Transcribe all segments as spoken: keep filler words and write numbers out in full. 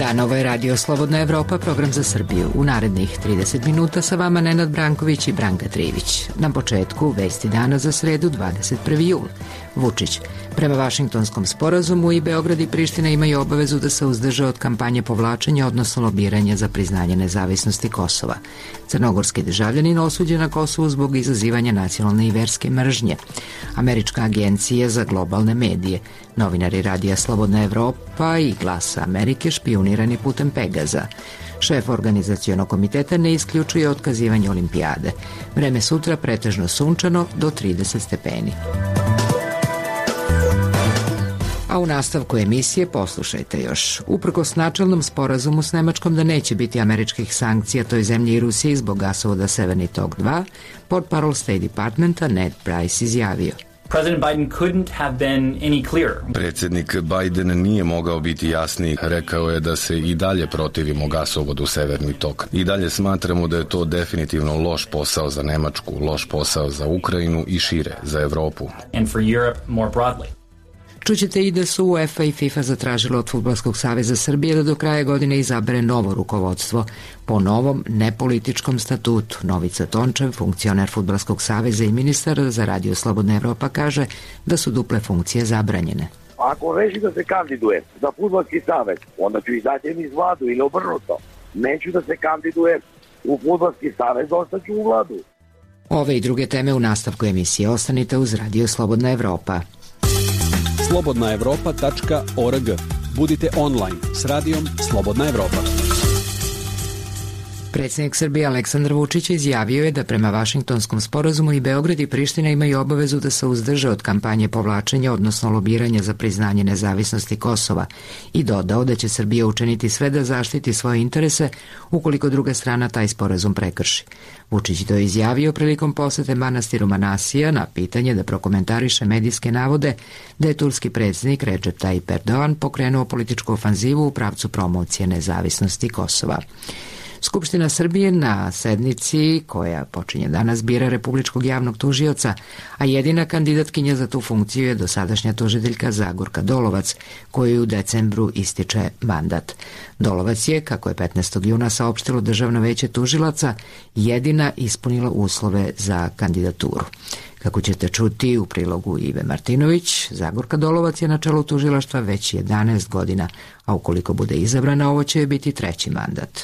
dan, ovo je Radio Slobodna Evropa, program za Srbiju. U narednih trideset minuta sa vama Nenad Branković i Branka Trivić. Na početku vesti dana za sredu dvadeset prvi jul. Vučić. Prema Vašingtonskom sporazumu i Beograd i Priština imaju obavezu da se uzdrže od kampanje povlačenja, odnosno lobiranja za priznanje nezavisnosti Kosova. Crnogorski državljanin osuđen na Kosovu zbog izazivanja nacionalne i verske mržnje. Američka agencija za globalne medije, novinari Radija Slobodna Evropa i Glasa Amerike špijunirani putem Pegaza. Šef organizacionog komiteta ne isključuje otkazivanje olimpijade. Vreme sutra pretežno sunčano do trideset stepeni. A u nastavku emisije poslušajte još. Uprkos načelnom sporazumu s Nemačkom da neće biti američkih sankcija toj zemlji i Rusiji zbog gasovoda Severni tok dva, portparol State Departmenta Ned Price izjavio. President Biden couldn't have been any clearer. Predsjednik Biden nije mogao biti jasniji. Rekao je da se i dalje protivimo gasovodu Severni tok. I dalje smatramo da je to definitivno loš posao za Nemačku, loš posao za Ukrajinu i šire, za Evropu. And for Europe more broadly. Čućete i da su UEFA i FIFA zatražili od Fudbalskog saveza Srbije da do kraja godine izabere novo rukovodstvo po novom nepolitičkom statutu. Novica Tončev, funkcioner Fudbalskog saveza i ministar za Radio Slobodna Evropa, kaže da su duple funkcije zabranjene. Ako reši da se kandiduje za Fudbalski savez, onda ću izaći iz vladu ili obrnuto. Neću da se kandidujem u Fudbalski savez, ostaću u vladu. Ove i druge teme u nastavku emisije. Ostanite uz Radio Slobodna Evropa. slobodna evropa tačka org. Budite online s radijom Slobodna Evropa. Predsjednik Srbije Aleksandar Vučić izjavio je da prema Vašingtonskom sporazumu i Beograd i Priština imaju obavezu da se uzdrže od kampanje povlačenja, odnosno lobiranja za priznanje nezavisnosti Kosova, i dodao da će Srbija učiniti sve da zaštiti svoje interese ukoliko druga strana taj sporazum prekrši. Vučić to je izjavio prilikom posete manastiru Manasija na pitanje da prokomentariše medijske navode da je turski predsjednik Recep Tayyip Erdogan pokrenuo političku ofanzivu u pravcu promocije nezavisnosti Kosova. Skupština Srbije na sednici koja počinje danas bira republičkog javnog tužioca, a jedina kandidatkinja za tu funkciju je dosadašnja tužiteljka Zagorka Dolovac, kojoj u decembru ističe mandat. Dolovac je, kako je petnaestog juna saopštilo Državno veće tužilaca, jedina ispunila uslove za kandidaturu. Kako ćete čuti u prilogu Ive Martinović, Zagorka Dolovac je na čelu tužilaštva već jedanaest godina, a ukoliko bude izabrana, ovo će biti treći mandat.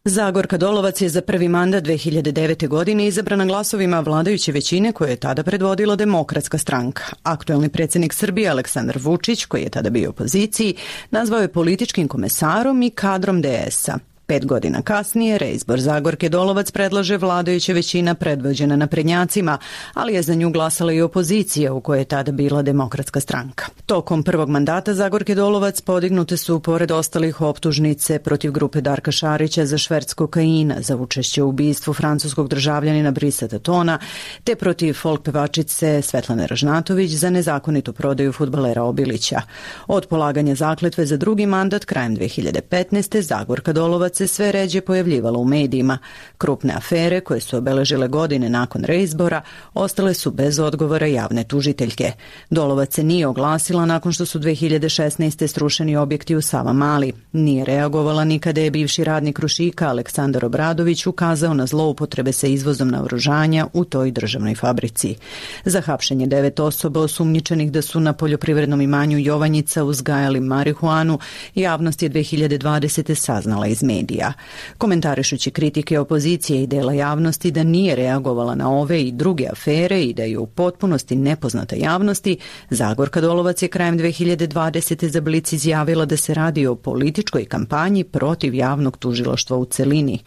Zagorka Dolovac je za prvi mandat dve hiljade devete. godine izabrana glasovima vladajuće većine koje je tada predvodila Demokratska stranka. Aktuelni predsjednik Srbije Aleksandar Vučić, koji je tada bio u opoziciji, nazvao je političkim komesarom i kadrom de esa. Pet godina kasnije reizbor Zagorke Dolovac predlaže vladajuća većina predvođena naprednjacima, ali je za nju glasala i opozicija u kojoj je tada bila Demokratska stranka. Tokom prvog mandata Zagorke Dolovac podignute su, pored ostalih, optužnice protiv grupe Darka Šarića za šverc kokaina, za učešće u ubistvu francuskog državljanina Brisa Tatona, te protiv folk pevačice Svetlane Ražnatović za nezakonitu prodaju fudbalera Obilića. Od polaganja zakletve za drugi mandat krajem dve hiljade petnaeste. Zagorka Dolovac se sve ređe pojavljivala u medijima. Krupne afere koje su obeležile godine nakon reizbora ostale su bez odgovora javne tužiteljke. Dolovac se nije oglasila nakon što su dve hiljade šesnaeste. srušeni objekti u Savamali. Nije reagovala ni kada je bivši radnik Krušika Aleksandar Obradović ukazao na zloupotrebe sa izvozom naoružanja u toj državnoj fabrici. Za hapšenje devet osoba osumnjičenih da su na poljoprivrednom imanju Jovanjica uzgajali marihuanu, javnost je dve hiljade dvadesete. saznala iz medija. Komentarišući kritike opozicije i dela javnosti da nije reagovala na ove i druge afere i da je u potpunosti nepoznata javnosti, Zagorka Dolovac je krajem dve hiljade dvadesete. za Blic izjavila da se radi o političkoj kampanji protiv javnog tužilaštva u celini.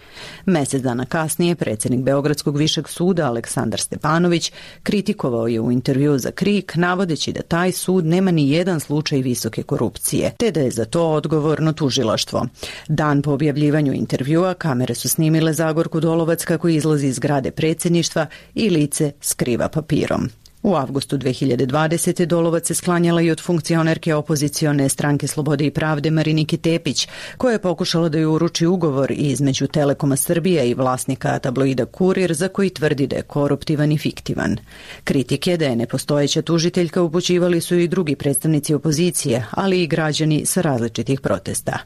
Mesec dana kasnije predsjednik Beogradskog višeg suda Aleksandar Stepanović kritikovao je u intervju za Krik, navodeći da taj sud nema ni jedan slučaj visoke korupcije, te da je za to odgovorno tužilaštvo. Dan po objavljivanju intervjua kamere su snimile Zagorku Dolovac kako izlazi iz zgrade predsjedništva i lice skriva papirom. U avgustu dve hiljade dvadesete. Dolovac se sklanjala i od funkcionerke opozicione stranke Slobode i pravde Marinike Tepić, koja je pokušala da ju uruči ugovor između Telekoma Srbije i vlasnika tabloida Kurir, za koji tvrdi da je koruptivan i fiktivan. Kritike da je nepostojeća tužiteljka upućivali su i drugi predstavnici opozicije, ali i građani sa različitih protesta.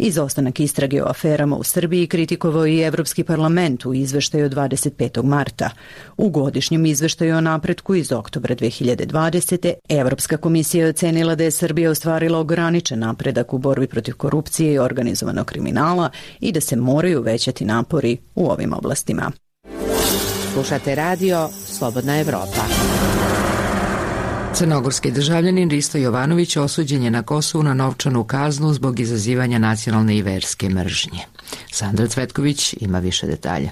Izostanak istrage o aferama u Srbiji kritikovao i Evropski parlament u izveštaju od dvadeset petog marta. U godišnjem izveštaju o napretku iz oktobra dve hiljade dvadesete. Evropska komisija je ocenila da je Srbija ostvarila ograničen napredak u borbi protiv korupcije i organizovanog kriminala i da se moraju uvećati napori u ovim oblastima. Slušate radio Slobodna Evropa. Crnogorski državljanin Risto Jovanović osuđen je na Kosovu na novčanu kaznu zbog izazivanja nacionalne i verske mržnje. Sandra Cvetković ima više detalja.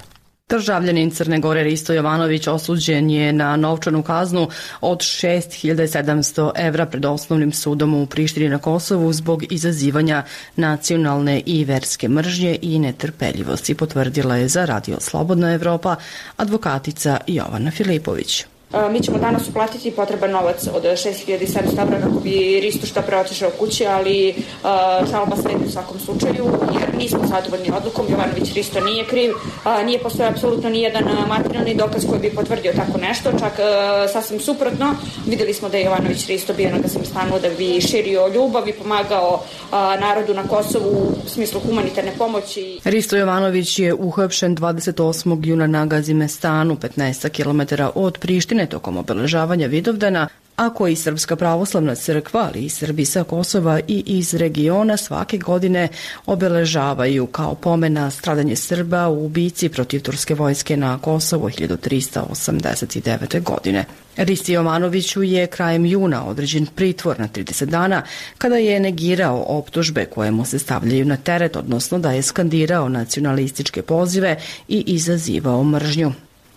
Državljanin Crne Gore Risto Jovanović osuđen je na novčanu kaznu od šest hiljada sedamsto evra pred osnovnim sudom u Prištini na Kosovu zbog izazivanja nacionalne i verske mržnje i netrpeljivosti, potvrdila je za Radio Slobodna Evropa advokatica Jovana Filipović. Mi ćemo danas uplatiti potreban novac od šest hiljada sedamsto evra kako bi Risto što pre otišao kući, ali uh, žalba sledi u svakom slučaju, jer nismo zadovoljni odlukom. Jovanović Risto nije kriv, uh, nije postoje apsolutno nijedan materijalni dokaz koji bi potvrdio tako nešto, čak uh, sasvim suprotno. Videli smo da je Jovanović Risto bio na gasnom stanu da bi širio ljubav i pomagao uh, narodu na Kosovu u smislu humanitarne pomoći. Risto Jovanović je uhapšen dvadeset osmog juna na Gazimestanu, petnaest kilometara od Prištine, tokom obeležavanja Vidovdana, a koji Srpska pravoslavna crkva, ali i Srbi sa Kosova i iz regiona svake godine obeležavaju kao pomen na stradanje Srba u bici protiv turske vojske na Kosovo hiljadu trista osamdeset devete. godine. Risti Jovanoviću je krajem juna određen pritvor na trideset dana kada je negirao optužbe koje mu se stavljaju na teret, odnosno da je skandirao nacionalističke pozive i izazivao mržnju.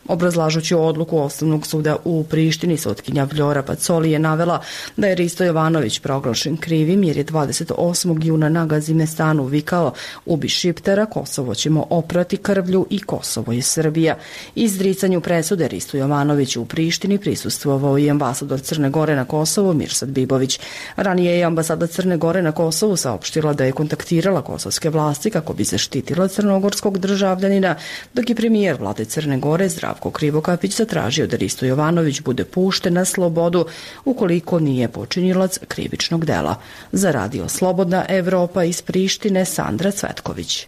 Obrazlažući odluku Osnovnog suda u Prištini, sutkinja Vljora Pacoli je navela da je Risto Jovanović proglašen krivim jer je dvadeset osmog juna na Gazimestanu vikao "Ubi Šiptara, Kosovo ćemo oprati krvlju i Kosovo je Srbija". Izricanju presude Risto Jovanoviću u Prištini prisustvovao i ambasador Crne Gore na Kosovu Mirsad Bibović. Ranije je ambasada Crne Gore na Kosovu saopštila da je kontaktirala kosovske vlasti kako bi zaštitila crnogorskog državljanina, dok je premijer vlade Crne Gore Zdravko Krivokapić zatražio da Risto Jovanović bude pušten na slobodu ukoliko nije počinilac krivičnog dela. Za Radio Slobodna Evropa iz Prištine, Sandra Cvetković.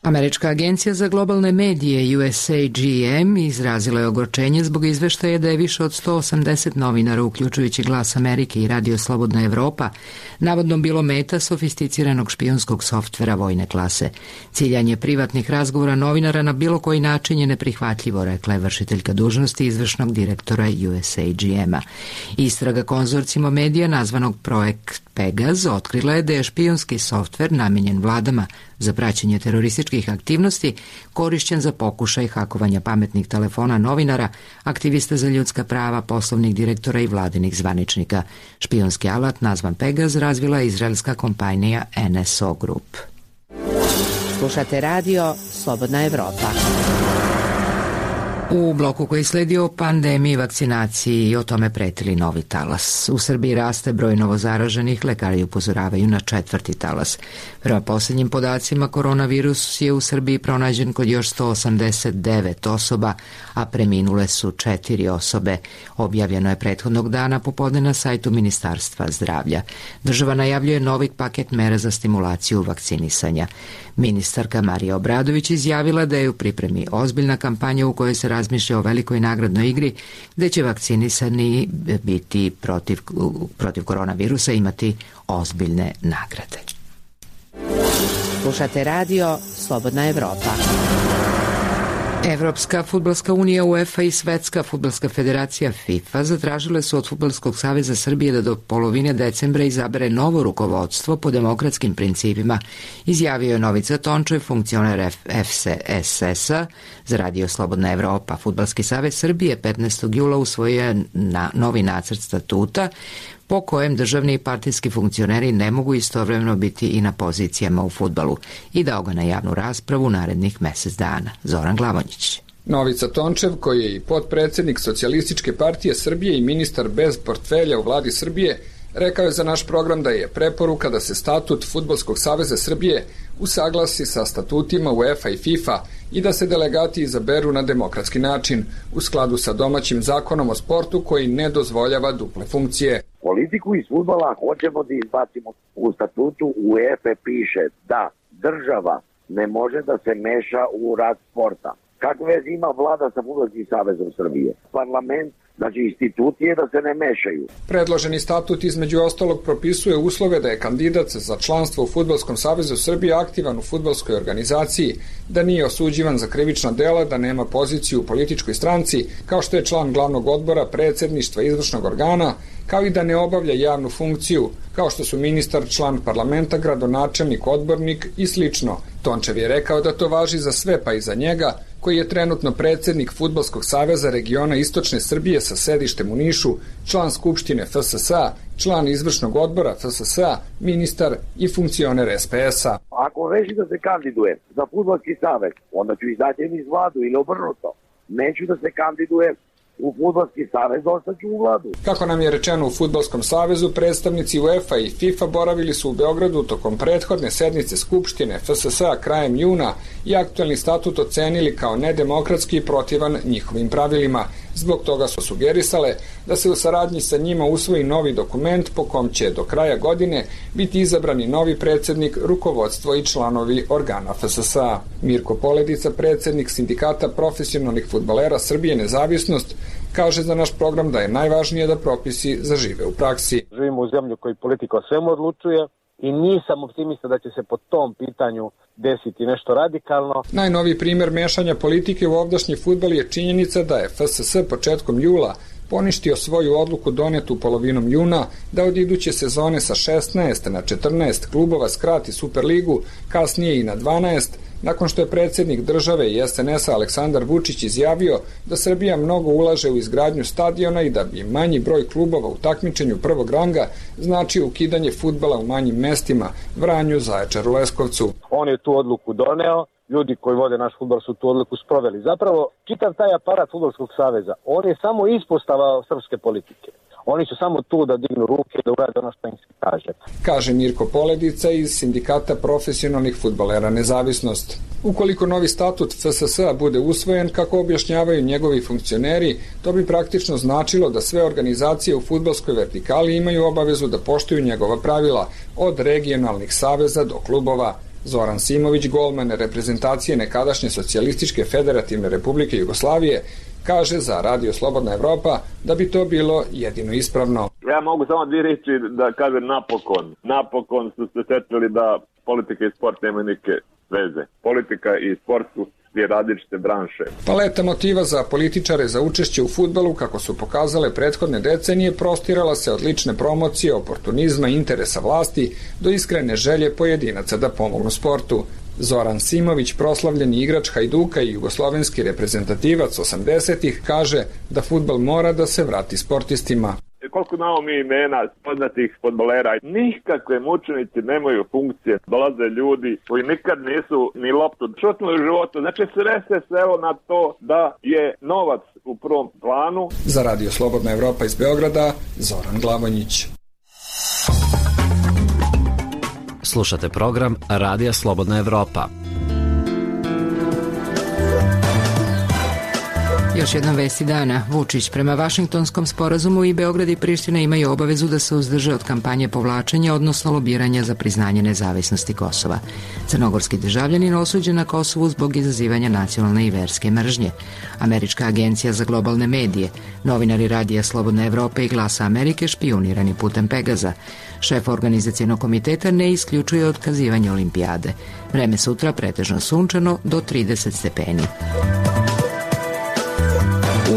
Američka agencija za globalne medije U S A G M izrazila je ogorčenje zbog izveštaja da je više od sto osamdeset novinara, uključujući Glas Amerike i Radio Slobodna Evropa, navodno bilo meta sofisticiranog špijunskog softvera vojne klase. Ciljanje privatnih razgovora novinara na bilo koji način je neprihvatljivo, rekla je vršiteljka dužnosti izvršnog direktora U S A G M-a. Istraga konzorcijuma medija nazvanog Projekt Pegaz otkrila je da je špijunski softver namenjen vladama za praćenje terorističkih aktivnosti korišćen za pokušaj hakovanja pametnih telefona novinara, aktivista za ljudska prava, poslovnih direktora i vladinih zvaničnika. Špijunski alat nazvan Pegaz razvila je izraelska kompanija N S O Group. Slušate radio Slobodna Evropa. U bloku koji sledi o pandemiji, vakcinaciji i o tome pretili novi talas. U Srbiji raste broj novozaraženih, lekari upozoravaju na četvrti talas. Prema posljednjim podacima, koronavirus je u Srbiji pronađen kod još sto osamdeset devet osoba, a preminule su četiri osobe. Objavljeno je prethodnog dana popodne na sajtu Ministarstva zdravlja. Država najavljuje novi paket mera za stimulaciju vakcinisanja. Ministarka Marija Obradović izjavila da je u pripremi ozbiljna kampanja u kojoj se razmišlja o velikoj nagradnoj igri gde će vakcinisani biti protiv, protiv koronavirusa imati ozbiljne nagrade. Slušate radio Slobodna Evropa. Evropska fudbalska unija UEFA i Svetska fudbalska federacija FIFA zatražile su od Fudbalskog saveza Srbije da do polovine decembra izabere novo rukovodstvo po demokratskim principima, izjavio je Novica Tončev, funkcioner F C S S-a za Radio Slobodna Evropa. Fudbalski savez Srbije petnaestog jula usvojio je na novi nacrt statuta po kojem državni i partijski funkcioneri ne mogu istovremeno biti i na pozicijama u fudbalu i dao ga na javnu raspravu narednih mesec dana. Zoran Glavonjić. Novica Tončev, koji je i potpredsednik Socijalističke partije Srbije i ministar bez portfelja u vladi Srbije, rekao je za naš program da je preporuka da se statut Fudbalskog saveza Srbije usaglasi sa statutima UEFA i FIFA i da se delegati izaberu na demokratski način, u skladu sa domaćim zakonom o sportu koji ne dozvoljava duple funkcije. Politiku iz fudbala hoćemo da izbacimo. U statutu UEFA piše da država ne može da se meša u rad sporta. Kakve veze ima vlada sa Fudbalskim savezom Srbije? Parlament, znači institucije da se ne mešaju. Predloženi statut između ostalog propisuje uslove da je kandidat za članstvo u Fudbalskom savezu Srbije aktivan u fudbalskoj organizaciji, da nije osuđivan za krivična dela, da nema poziciju u političkoj stranci, kao što je član glavnog odbora, predsedništva izvršnog organa, kao i da ne obavlja javnu funkciju, kao što su ministar, član parlamenta, gradonačelnik, odbornik i slično. Tončev je rekao da to važi za sve, pa i za njega, koji je trenutno predsednik Fudbalskog saveza regiona Istočne Srbije sa sedištem u Nišu, član Skupštine F S S-a, član izvršnog odbora F S S-a, ministar i funkcioner S P S-a. Ako reši da se kandiduje za Fudbalski savez, onda ću izaći iz vladu ili obrnuto. Neću da se kandiduje u Fudbalski savez, ostaću u vladu. Kako nam je rečeno u Fudbalskom savezu, predstavnici UEFA i FIFA boravili su u Beogradu tokom prethodne sednice Skupštine F S S-a krajem juna i aktualni statut ocenili kao nedemokratski i protivan njihovim pravilima. Zbog toga su sugerisale da se u saradnji sa njima usvoji novi dokument po kom će do kraja godine biti izabrani novi predsednik, rukovodstvo i članovi organa F S S-a. Mirko Poledica, predsednik Sindikata profesionalnih fudbalera Srbije Nezavisnost, kaže za naš program da je najvažnije da propisi zažive u praksi. Živimo u zemlju koji politika o svemu odlučuje i nisam optimista da će se po tom pitanju desiti nešto radikalno. Najnoviji primer mešanja politike u ovdašnji fudbal je činjenica da je F S S početkom jula poništio svoju odluku donetu polovinom juna da od iduće sezone sa šesnaest na četrnaest klubova skrati Superligu, kasnije i na dvanaest, nakon što je predsjednik države i S N S-a Aleksandar Vučić izjavio da Srbija mnogo ulaže u izgradnju stadiona i da bi manji broj klubova u takmičenju prvog ranga značio ukidanje fudbala u manjim mestima, Vranju, Zaječaru, Leskovcu. On je tu odluku doneo, ljudi koji vode naš fudbal su tu odluku sproveli. Zapravo, čitav taj aparat Fudbalskog saveza, on je samo ispostava srpske politike. Oni su samo tu da dignu ruke, da urade ono što im se kaže. Kaže Mirko Poledica iz Sindikata profesionalnih fudbalera Nezavisnost. Ukoliko novi statut F S S-a bude usvojen, kako objašnjavaju njegovi funkcioneri, to bi praktično značilo da sve organizacije u fudbalskoj vertikali imaju obavezu da poštuju njegova pravila, od regionalnih saveza do klubova. Zoran Simović, golman reprezentacije nekadašnje Socijalističke federativne republike Jugoslavije, kaže za Radio Slobodna Evropa da bi to bilo jedino ispravno. Ja mogu samo dvije reći da kažem napokon. Napokon su se setili da politika i sport nemaju neke veze. Politika i sport su dvije različite branše. Paleta motiva za političare za učešće u fudbalu, kako su pokazale prethodne decenije, prostirala se od lične promocije, oportunizma i interesa vlasti do iskrene želje pojedinaca da pomognu sportu. Zoran Simović, proslavljeni igrač Hajduka i jugoslovenski reprezentativac osamdesetih, kaže da fudbal mora da se vrati sportistima. Koliko imamo mi imena poznatih fudbalera, nikakve mučenici nemaju funkcije. Dolaze ljudi koji nikad nisu ni loptu šutnuli u životu. Znači sve se svelo na to da je novac u prvom planu. Za Radio Slobodna Evropa iz Beograda, Zoran Glavonjić. Slušate program Radija Slobodna Evropa. Još jedna vesti dana. Vučić: prema Vašingtonskom sporazumu i Beograd i Priština imaju obavezu da se uzdrže od kampanje povlačenja, odnosno lobiranja za priznanje nezavisnosti Kosova. Crnogorski državljanin osuđen na Kosovu zbog izazivanja nacionalne i verske mržnje. Američka agencija za globalne medije, novinari Radija Slobodna Evropa i Glasa Amerike špijunirani putem Pegaza. Šef organizacijenog komiteta ne isključuje otkazivanje olimpijade. Vreme sutra pretežno sunčano do trideset stepeni.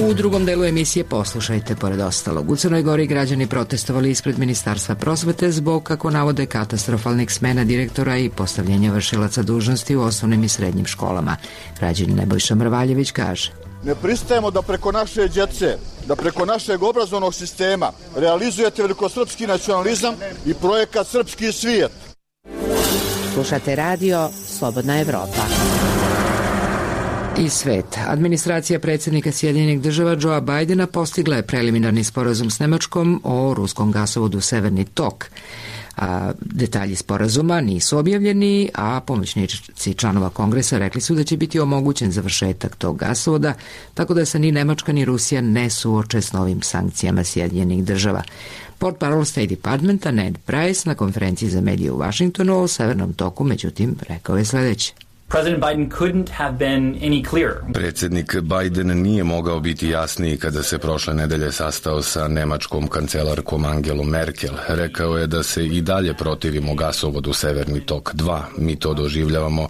U drugom delu emisije poslušajte, pored ostalog, u Crnoj Gori građani protestovali ispred Ministarstva prosvete zbog, kako navode, katastrofalnih smena direktora i postavljenja vršilaca dužnosti u osnovnim i srednjim školama. Građanin Nebojša Mrvaljević kaže: ne pristajemo da preko naše djece, da preko našeg obrazovnog sistema realizujete velikosrpski nacionalizam i projekat Srpski svijet. Slušate radio Slobodna Evropa. I svet. Administracija predsjednika Sjedinjenih država Joea Bidena postigla je preliminarni sporazum s Nemačkom o ruskom gasovodu Severni tok. A detalji sporazuma nisu objavljeni, a pomoćnici članova Kongresa rekli su da će biti omogućen završetak tog gasovoda, tako da se ni Nemačka ni Rusija ne suoče s novim sankcijama Sjedinjenih država. Portparol State Departmenta Ned Price na konferenciji za medije u Vašingtonu o Severnom toku, međutim, rekao je sledeće. President Biden couldn't have been any clearer. Predsjednik Biden nije mogao biti jasniji kada se prošle nedelje sastao sa nemačkom kancelarkom Angelom Merkel. Rekao je da se i dalje protivimo gasovodu Severni tok dva. Mi to doživljavamo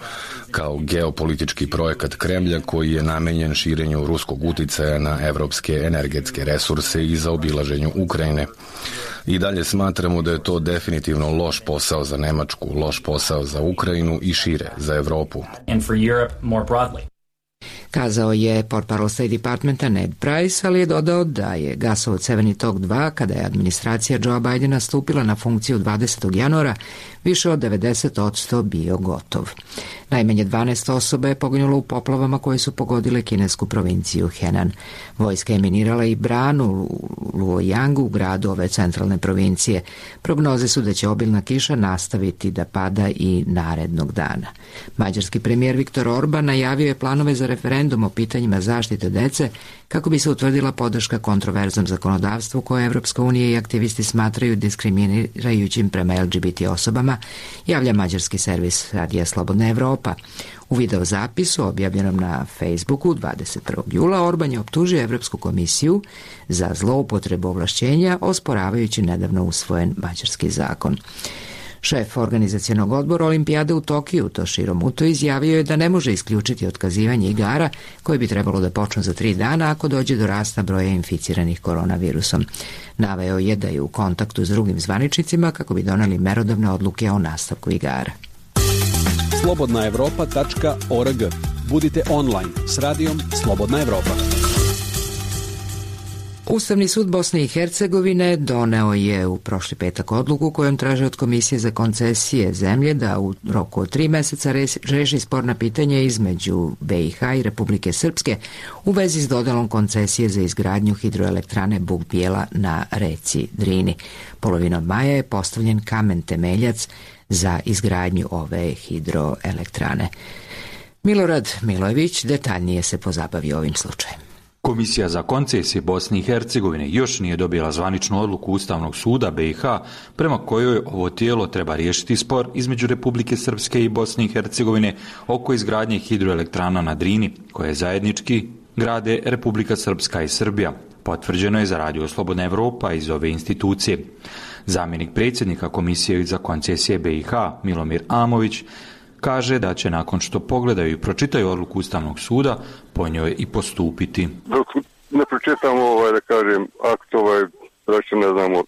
kao geopolitički projekat Kremlja koji je namenjen širenju ruskog uticaja na evropske energetske resurse i zaobilaženju Ukrajine. I dalje smatramo da je to definitivno loš posao za Nemačku, loš posao za Ukrajinu i šire, za Evropu. And for Europe more broadly. Kazao je portparol State Departmenta Ned Price, ali je dodao da je gasovod Severni tok dva, kada je administracija Joea Bidena stupila na funkciju dvadesetog januara, više od devedeset posto bio gotov. Najmanje dvanaest osoba je poginulo u poplavama koje su pogodile kinesku provinciju Henan. Vojska je minirala i branu u Luoyangu, u gradu ove centralne provincije. Prognoze su da će obilna kiša nastaviti da pada i narednog dana. Mađarski premijer Viktor Orban najavio je planove za referendum o pitanjima zaštite dece kako bi se utvrdila podrška kontroverznom zakonodavstvu koje Evropska unija i aktivisti smatraju diskriminirajućim prema L G B T osobama, javlja mađarski servis Radija Slobodna Evropa. U video zapisu objavljenom na Facebooku dvadeset prvog jula Orban je optužio Evropsku komisiju za zloupotrebu ovlašćenja, osporavajući nedavno usvojen mađarski zakon. Šef organizacionog odbora Olimpijade u Tokiju, Toshiro Muto, izjavio je da ne može isključiti otkazivanje igara koje bi trebalo da počnu za tri dana ako dođe do rasta broja inficiranih koronavirusom. Naveo je da je u kontaktu s drugim zvaničnicima kako bi doneli merodavne odluke o nastavku igara. slobodna evropa tačka org. Budite online s radijom Slobodna Evropa. Ustavni sud Bosne i Hercegovine doneo je u prošli petak odluku kojom traže od Komisije za koncesije zemlje da u roku od tri meseca reši sporna pitanja između B i H i Republike Srpske u vezi s dodelom koncesije za izgradnju hidroelektrane Buk Bijela na reci Drini. Polovinom maja je postavljen kamen temeljac za izgradnju ove hidroelektrane. Milorad Milojević detaljnije se pozabavio ovim slučajem. Komisija za koncesije Bosne i Hercegovine još nije dobila zvaničnu odluku Ustavnog suda B i H prema kojoj ovo tijelo treba riješiti spor između Republike Srpske i Bosne i Hercegovine oko izgradnje hidroelektrana na Drini, koje zajednički grade Republika Srpska i Srbija. Potvrđeno je za Radio Slobodna Evropa iz ove institucije. Zamjenik predsjednika Komisije za koncesije B i H, Milomir Amović, kaže da će nakon što pogledaju i pročitaju odluku Ustavnog suda, po njoj i postupiti. Dok ne pročitamo, ovaj, da kažem, akt, ovaj, znači ne znamo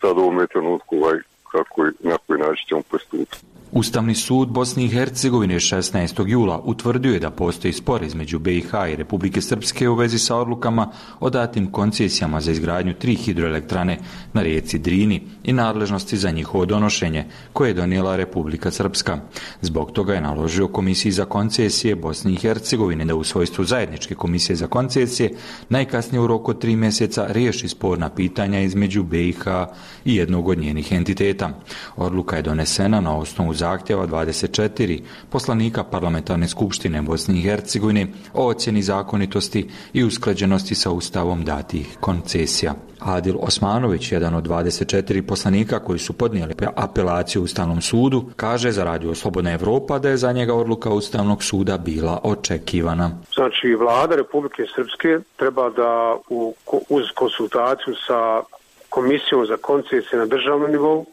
sad u ovom trenutku ovaj, kako i na koji način ćemo postupiti. Ustavni sud Bosne i Hercegovine šesnaestog jula utvrdio je da postoji spor između B i H i Republike Srpske u vezi sa odlukama o datim koncesijama za izgradnju tri hidroelektrane na rijeci Drini i nadležnosti za njihovo donošenje koje je donijela Republika Srpska. Zbog toga je naložio Komisiji za koncesije Bosne i Hercegovine da u svojstvu zajedničke komisije za koncesije najkasnije u roku od tri mjeseca riješi sporna pitanja između B i H i jednog od njenih entiteta. Odluka je donesena na osnovu zahtjeva dvadeset četiri poslanika Parlamentarne skupštine Bosne i Hercegovine o ocjeni zakonitosti i usklađenosti sa Ustavom datih koncesija. Adil Osmanović, jedan od dvadeset četiri poslanika koji su podnijeli apelaciju Ustavnom sudu, kaže za Radio Slobodna Evropa da je za njega odluka Ustavnog suda bila očekivana. Znači, vlada Republike Srpske treba da u, uz konsultaciju sa Komisijom za koncesije na državnom nivou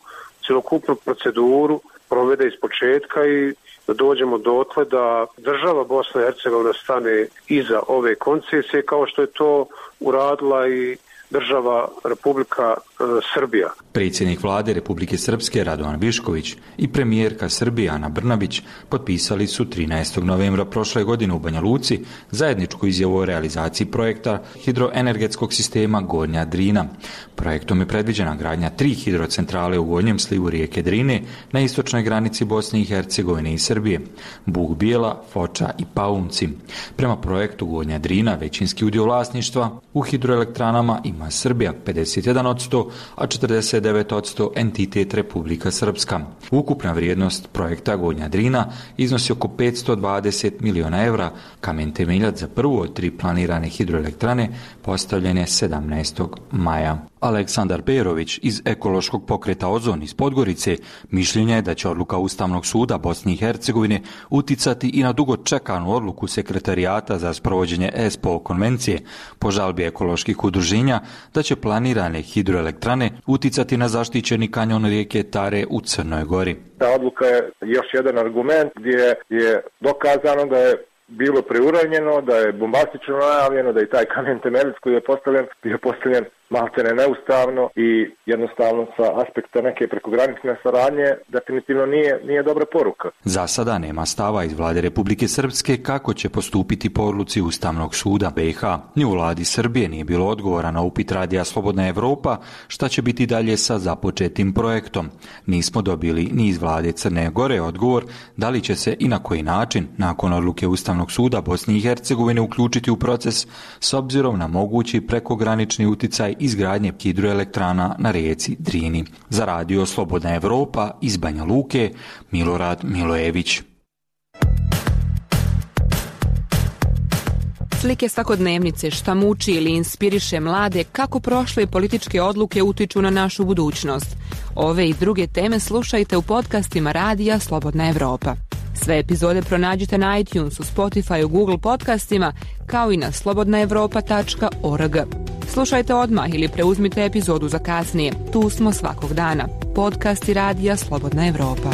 cjelokupnu proceduru provede iz početka i da dođemo dotle da država Bosna i Hercegovina stane iza ove koncesije kao što je to uradila i država Republika e, Srbija. Predsjednik vlade Republike Srpske Radovan Višković i premijerka Srbije Ana Brnabić potpisali su trinaestog novembra prošle godine u Banja Luci zajedničku izjavu o realizaciji projekta hidroenergetskog sistema Gornja Drina. Projektom je predviđena gradnja tri hidrocentrale u gornjem slivu rijeke Drine na istočnoj granici Bosne i Hercegovine i Srbije, Buk Bijela, Foča i Paunci. Prema projektu Gornja Drina većinski udio vlasništva u hidroelektranama ima Srbija pedeset jedan posto, a četrdeset devet posto entitet Republika Srpska. Ukupna vrijednost projekta Gornja Drina iznosi oko petsto dvadeset miliona evra. Kamen temeljac za prvu od tri planirane hidroelektrane postavljen je sedamnaestog maja. Aleksandar Perović iz ekološkog pokreta Ozon iz Podgorice mišljenja je da će odluka Ustavnog suda Bosne i Hercegovine uticati i na dugo čekanu odluku Sekretarijata za sprovođenje E S P O konvencije po žalbi ekoloških udruženja da će planirane hidroelektrane uticati na zaštićeni kanjon rijeke Tare u Crnoj Gori. Ta odluka je još jedan argument gdje je dokazano da je bilo preuranjeno, da je bombastično najavljeno, da je taj kamen temeljac koji je postavljen, bio postavljen maltene neustavno i jednostavno sa aspekta neke prekogranične saradnje definitivno nije, nije dobra poruka. Za sada nema stava iz vlade Republike Srpske kako će postupiti po odluci Ustavnog suda B i H. Ni u vladi Srbije nije bilo odgovora na upit Radija Slobodna Evropa šta će biti dalje sa započetim projektom. Nismo dobili ni iz vlade Crne Gore odgovor da li će se i na koji način nakon odluke Ustavnog suda Bosne i Hercegovine uključiti u proces s obzirom na mogući prekogranični uticaj izgradnje hidroelektrana na rijeci Drini. Za Radio Slobodna Evropa iz Banja Luke, Milorad Milojević. Slike svakodnevnice, šta muči ili inspiriše mlade, kako prošle političke odluke utiču na našu budućnost. Ove i druge teme slušajte u podcastima Radija Slobodna Evropa. Sve epizode pronađite na iTunesu, Spotify, Google podcastima, kao i na slobodna evropa tačka org. Slušajte odmah ili preuzmite epizodu za kasnije. Tu smo svakog dana. Podcasti Radija Slobodna Evropa.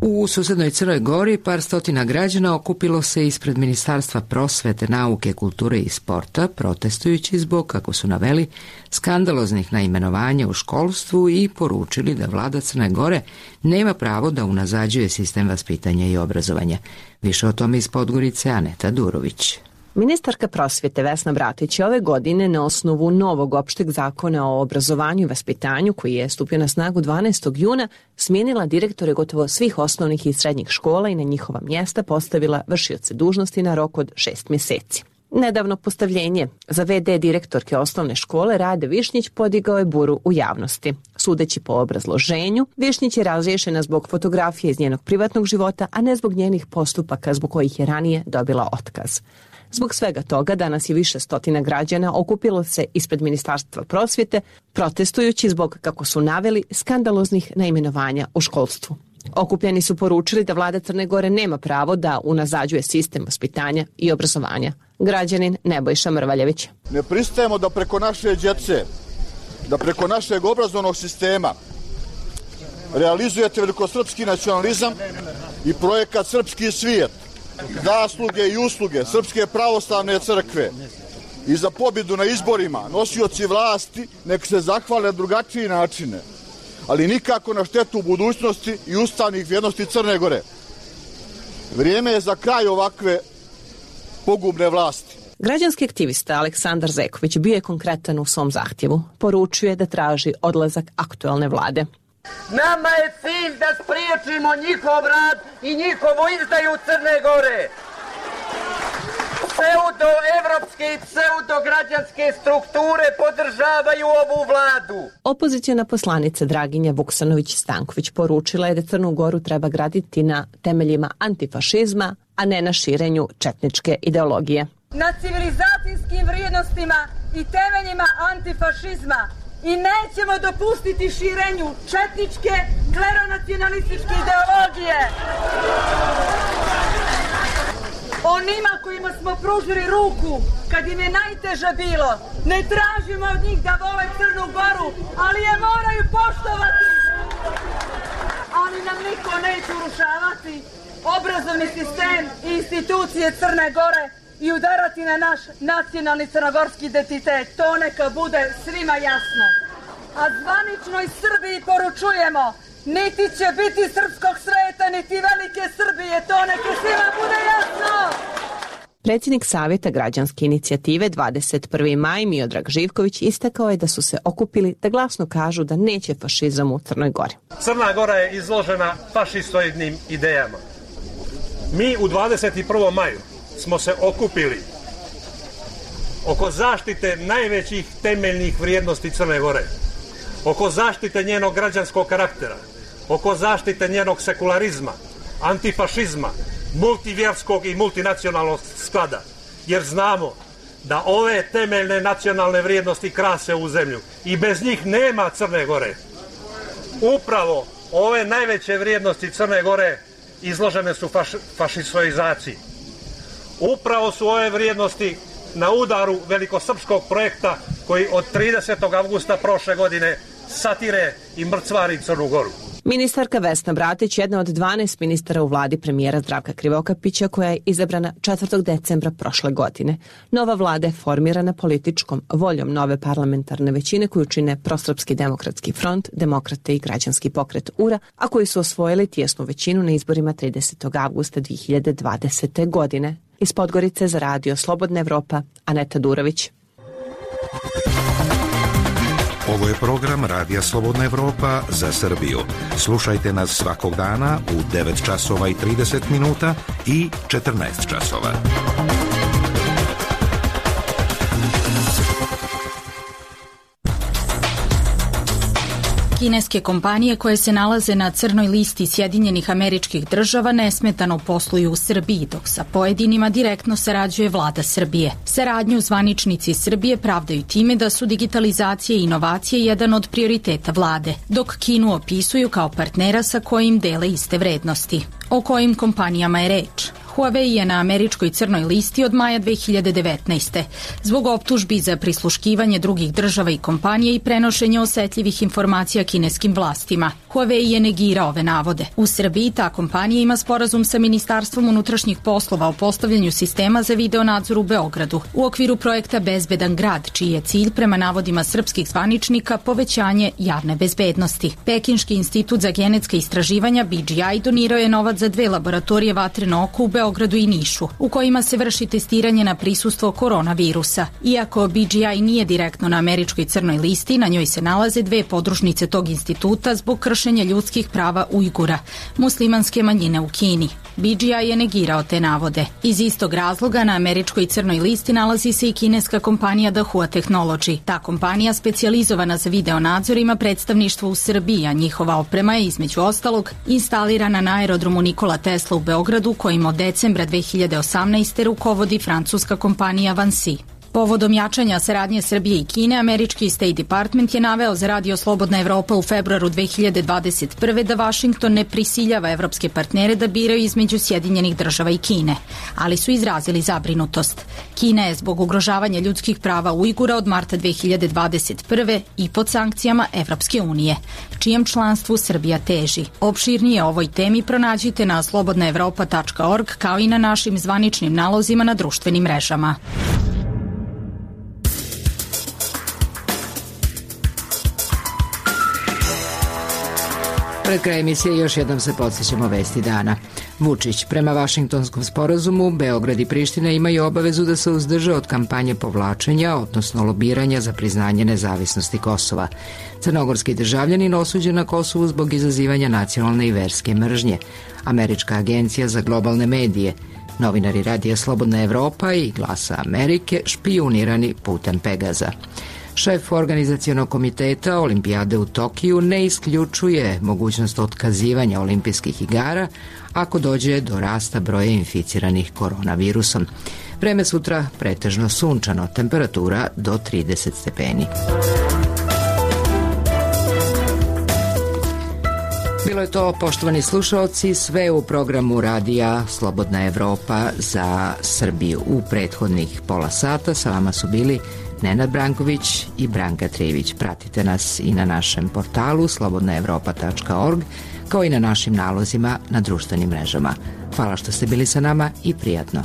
U susednoj Crnoj Gori par stotina građana okupilo se ispred Ministarstva prosvete, nauke, kulture i sporta, protestujući zbog, kako su naveli, skandaloznih naimenovanja u školstvu i poručili da vlada Crne Gore nema pravo da unazađuje sistem vaspitanja i obrazovanja. Više o tome iz Podgorice Aneta Durović. Ministarka prosvjete Vesna Bratić je ove godine na osnovu novog opšteg zakona o obrazovanju i vaspitanju, koji je stupio na snagu dvanaestog juna, smijenila direktore gotovo svih osnovnih i srednjih škola i na njihova mjesta postavila vršioce dužnosti na rok od šest mjeseci. Nedavno postavljenje za ve de direktorke osnovne škole Rade Višnjić podigao je buru u javnosti. Sudeći po obrazloženju, Višnjić je razriješena zbog fotografije iz njenog privatnog života, a ne zbog njenih postupaka zbog kojih je ranije dobila otkaz. Zbog svega toga danas je više stotina građana okupilo se ispred Ministarstva prosvjete, protestujući zbog, kako su naveli, skandaloznih naimenovanja u školstvu. Okupljeni su poručili da vlada Crne Gore nema pravo da unazađuje sistem vaspitanja i obrazovanja. Građanin Nebojša Mrvaljević. Ne pristajemo da preko naše djece, da preko našeg obrazovnog sistema realizujete velikosrpski nacionalizam i projekat Srpski svijet, zasluge i usluge Srpske pravoslavne crkve i za pobjedu na izborima nosioci vlasti nek se zahvale na drugačiji načine, ali nikako na štetu budućnosti i ustavnih vrijednosti Crne Gore. Vrijeme je za kraj ovakve pogubne vlasti. Građanski aktivista Aleksandar Zeković bio je konkretan u svom zahtjevu. Poručuje da traži odlazak aktuelne vlade. Nama je cilj da spriječimo njihov rad i njihovu izdaju Crne Gore. Pseudo-evropske i pseudo-građanske strukture podržavaju ovu vladu. Opozicijna poslanica Draginja Vuksanović-Stanković poručila je da Crnu Goru treba graditi na temeljima antifašizma, a ne na širenju četničke ideologije. Na civilizacijskim vrijednostima i temeljima antifašizma i nećemo dopustiti širenju četničke, kleronacionalističke ideologije. Onima kojima smo pružili ruku kad im je najteže bilo, ne tražimo od njih da vole Crnu Goru, ali je moraju poštovati. Ali nam niko neće urušavati obrazovni sistem i institucije Crne Gore i udarati na naš nacionalni crnogorski identitet. To neka bude svima jasno. A zvaničnoj Srbiji poručujemo, niti će biti srpskog sveta, niti velike Srbije. To neka svima bude jasno. Predsjednik Savjeta građanske inicijative dvadeset prvi maj Miodrag Živković istakao je da su se okupili da glasno kažu da neće fašizam u Crnoj Gori. Crna Gora je izložena fašistoidnim idejama. Mi u dvadeset prvom maju smo se okupili oko zaštite najvećih temeljnih vrijednosti Crne Gore, oko zaštite njenog građanskog karaktera, oko zaštite njenog sekularizma, antifašizma, multivjerskog i multinacionalnog sklada, jer znamo da ove temeljne nacionalne vrijednosti krase u zemlju i bez njih nema Crne Gore. Upravo ove najveće vrijednosti Crne Gore izložene su faš, fašistoizaciji. Upravo su ove vrijednosti na udaru velikosrpskog projekta koji od tridesetog avgusta prošle godine satire i mrcvari Crnu Goru. Ministarka Vesna Bratić, jedna od dvanaest ministara u vladi premijera Zdravka Krivokapića, koja je izabrana četvrtog decembra prošle godine. Nova vlada je formirana političkom voljom nove parlamentarne većine koju čine Prosrpski demokratski front, Demokrate i Građanski pokret U R A, a koji su osvojili tijesnu većinu na izborima tridesetog avgusta dve hiljade dvadesete. godine. Iz Podgorice za radio Slobodna Evropa, Aneta Durović. Ovo je program Radija Slobodna Evropa za Srbiju. Slušajte nas svakog dana u devet časova i trideset minuta i četrnaest časova. Kineske kompanije koje se nalaze na crnoj listi Sjedinjenih Američkih Država nesmetano posluju u Srbiji, dok sa pojedinima direktno sarađuje vlada Srbije. Saradnju zvaničnici Srbije pravdaju time da su digitalizacija i inovacije jedan od prioriteta vlade, dok Kinu opisuju kao partnera sa kojim dele iste vrednosti. O kojim kompanijama je reč? Huawei je na američkoj crnoj listi od maja dve hiljade devetnaeste. zbog optužbi za prisluškivanje drugih država i kompanije i prenošenje osetljivih informacija kineskim vlastima. Huawei je negirao ove navode. U Srbiji ta kompanija ima sporazum sa Ministarstvom unutrašnjih poslova o postavljanju sistema za video nadzor u Beogradu u okviru projekta Bezbedan grad, čiji je cilj prema navodima srpskih zvaničnika povećanje javne bezbednosti. Pekinški institut za genetska istraživanja B G I donirao je novac za dve laboratorije vatreno oko u Beogradu i Nišu, u kojima se vrši testiranje na prisustvo koronavirusa. Iako B G I nije direktno na američkoj crnoj listi, na njoj se nalaze dve podružnice tog instituta zbog kršenja ljudskih prava Ujgura, muslimanske manjine u Kini. B G I je negirao te navode. Iz istog razloga na američkoj crnoj listi nalazi se i kineska kompanija Dahua Technology. Ta kompanija, specijalizovana za video nadzor, ima predstavništvo u Srbiji, a njihova oprema je između ostalog instalirana na aerodromu Nikola Tesla u Beogradu, kojim od decembra dve hiljade osamnaeste. rukovodi francuska kompanija Vansi. Povodom jačanja saradnje Srbije i Kine, američki State Department je naveo za radio Slobodna Evropa u februaru dve hiljade dvadeset prve. da Vašington ne prisiljava evropske partnere da biraju između Sjedinjenih Država i Kine, ali su izrazili zabrinutost. Kina je zbog ugrožavanja ljudskih prava Ujgura od marta dve hiljade dvadeset prve. i pod sankcijama Evropske unije, čijem članstvu Srbija teži. Opširnije o ovoj temi pronađite na slobodna evropa tačka org kao i na našim zvaničnim nalozima na društvenim mrežama. Pred kraj emisije još jednom se podsjećamo vesti dana. Vučić, prema Vašingtonskom sporazumu, Beograd i Priština imaju obavezu da se uzdrže od kampanje povlačenja, odnosno lobiranja za priznanje nezavisnosti Kosova. Crnogorski državljanin osuđen na Kosovu zbog izazivanja nacionalne i verske mržnje. Američka agencija za globalne medije, novinari Radija Slobodna Evropa i Glasa Amerike špijunirani putem Pegaza. Šef organizacionog komiteta Olimpijade u Tokiju ne isključuje mogućnost otkazivanja olimpijskih igara ako dođe do rasta broja inficiranih koronavirusom. Vreme sutra pretežno sunčano, temperatura do trideset stepeni. Bilo je to, poštovani slušaoci, sve u programu Radija Slobodna Evropa za Srbiju. U prethodnih pola sata sa vama su bili Nenad Branković i Branka Trijević. Pratite nas i na našem portalu slobodna evropa tačka org, kao i na našim nalozima na društvenim mrežama. Hvala što ste bili sa nama i prijatno.